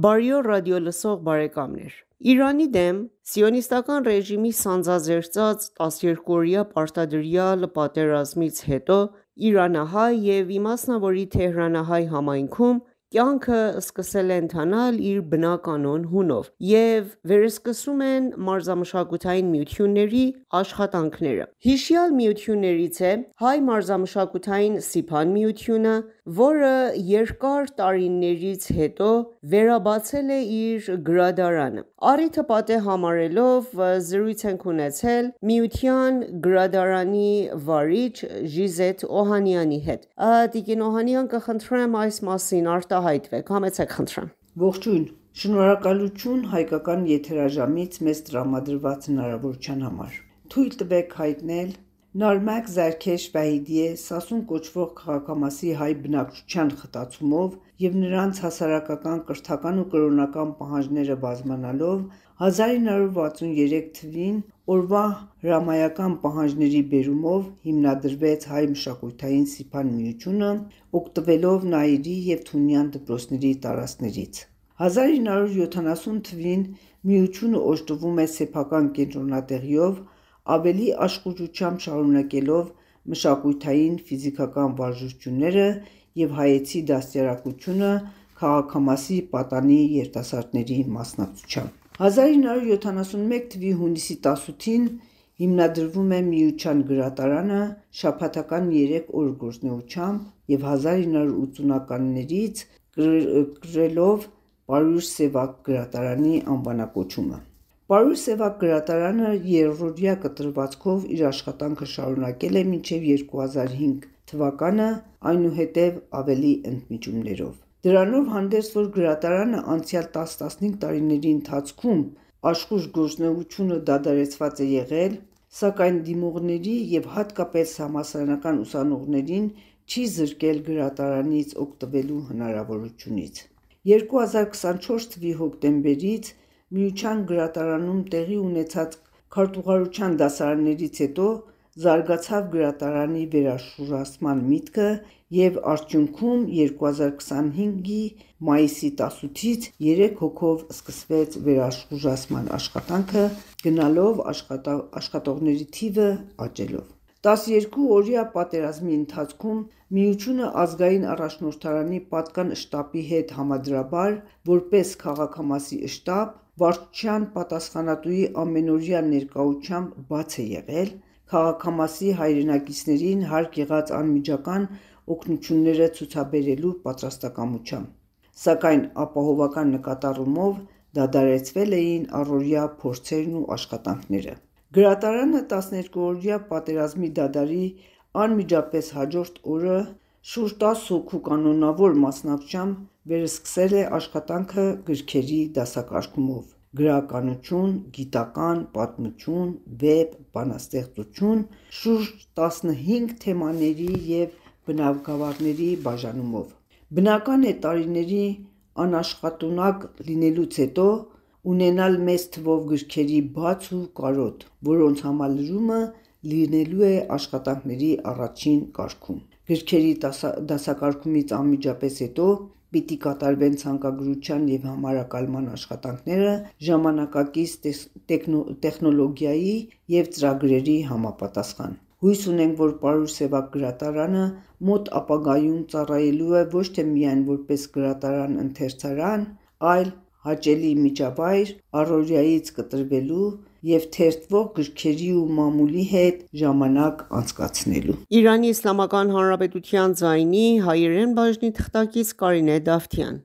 Բարի օր ռադիոլսող բարեկամներ: Իրանի դեմ սիոնիստական ռեժիմի սանձազերծած 12-օրյա պարտադրյալ պատերազմից հետո իրանահայ և իմասնավորի թեհրանահայ համայնքում կյանքը սկսել է ընթանալ իր բնականոն հունով և վերսկսում են մարզամշակութային միությունների աշխատանքները: Հիշյալ միություններից է Հայ մարզամշակութային սիփան միությունը, որը երկար տարիներից հետո վերաբացել է իր գրադարանը: Առիթը պատեհ համարելով զրույց ենք ունեցել միության գրադարանի վարիչ Ժիզեթ Օհանյանի հետ: Տիկին Օհանյան, կխնդրեմ այս մասին արտահայտվեք: Համեցեք խնդրեմ: Ողջույն, շնորհակալություն հայկական եթերաժամից մեզ տրամադրված հնարավորության համար: Թույլ տվեք հայտնել Նարմակ Զարքեշ Վահիդիե Սասուն կոչվող քաղաքամասի հայ բնակչության խտացումով և նրանց հասարակական, կրթական ու կրոնական պահանջները բազմանալով 1963 թվին օրվա հրամայական պահանջների բերումով հիմնադրվեց Հայ մշակութային սիփան միությունը՝ օգտվելով Նայիրի և Թունյան դպրոցների տարածքներից: 1970 թվին միությունը օժտվում է սեփական կենտրոնատեղիով, ավելի աշխուժությամբ շարունակելով մշակութային, ֆիզիկական վարժությունները և հայեցի դաստիարակությունը քաղաքամասի պատանի երիտասարդների մասնակցությամբ: 1971 թվականի հունիսի 18-ին հիմնադրվում է միության գրադարանը շաբաթական 3 օր գործունեությամբ և 1980-ականներից կրելով Պարույր Սևակ գրադարանի անվանակոչումը: Պարույր Սևակ գրադարանը երրորդյա կտրվածքով իր աշխատանքը շարունակել է մինչև 2005 թվականը, այնուհետև ավելի ընդմիջումներով: Դրանով հանդերձ, որ գրադարանը անցյալ 10-15 տարիների ընթացքում աշխույժ գործունեությունը դադարեցված է եղել, սակայն դիմողների և հատկապես համալսարանական ուսանողներին չի զրկել գրադարանից օգտվելու հնարավորությունից: 2024 թվականի հոկտեմբերից միության գրադարանում տեղի ունեցած քարտուղարության դասարաններից հետո զարգացավ գրադարանի վերաշուժացման միտքը և արդյունքում 2025թ. մայիսի 18-ից 3 հոգով սկսվեց վերաշուժացման աշխատանքը, գնալով աշխատողների թիվը աճելով: 12-օրյա պատերազմի ընթացքում միությունը ազգային առաջնորդարանի պատկան շտաբի հետ համադրաբար, որպես քաղաքամասի շտաբ, վարչության պատասխանատուի ամենօրյա ներկայությամբ բաց է եղել՝ քաղաքամասի հայրենակիցներին հարկ եղած անմիջական օգնությունները ցուցաբերելու պատրաստակամությամբ: Սակայն ապահովական նկատառումով դադարեցվել էին առօրյա փորձերն ու աշխատանքները: Գրադարանը 12-օրյա պատերազմի դադարի անմիջապես հաջորդ օրը շուրջ 10 հոգու կանոնավոր մասնակցությամբ վերսկսել է աշխատանքը գրքերի դասակարգումով՝ գրականություն, գիտական, պատմություն, վեպ, բանաստեղծություն, շուրջ 15 թեմաների և բնագավառների բաժանումով: Բնական է տարիների անաշխատունակ լինելուց հետո ունենալ մեծ թվով գրքերի բաց ու կարոտ, որոնց համալրումը լինելու է աշխատանքների առաջին կարգում: Գրքերի դասակարգումից անմիջապես հետո պիտի կատարվեն ցանկագրության և համարակալման աշխատանքները ժամանակակից տեխնոլոգիայի և ծրագրերի համապատասխան: Հույս ունենք, որ Պարույր Սևակ գրադարանը մոտ ապագայում ծառայելու է ոչ թե միայն որպես գրադարան-ընթերցանար, այլ հաճելի միջավայր առօրյայից կտրվելու և թերթվող գրքերի ու մամուլի հետ ժամանակ անցկացնելու: Իրանի Իսլամական Հանրապետության ձայնի հայերեն բաժնի թղթակից Կարինե Դավթյան: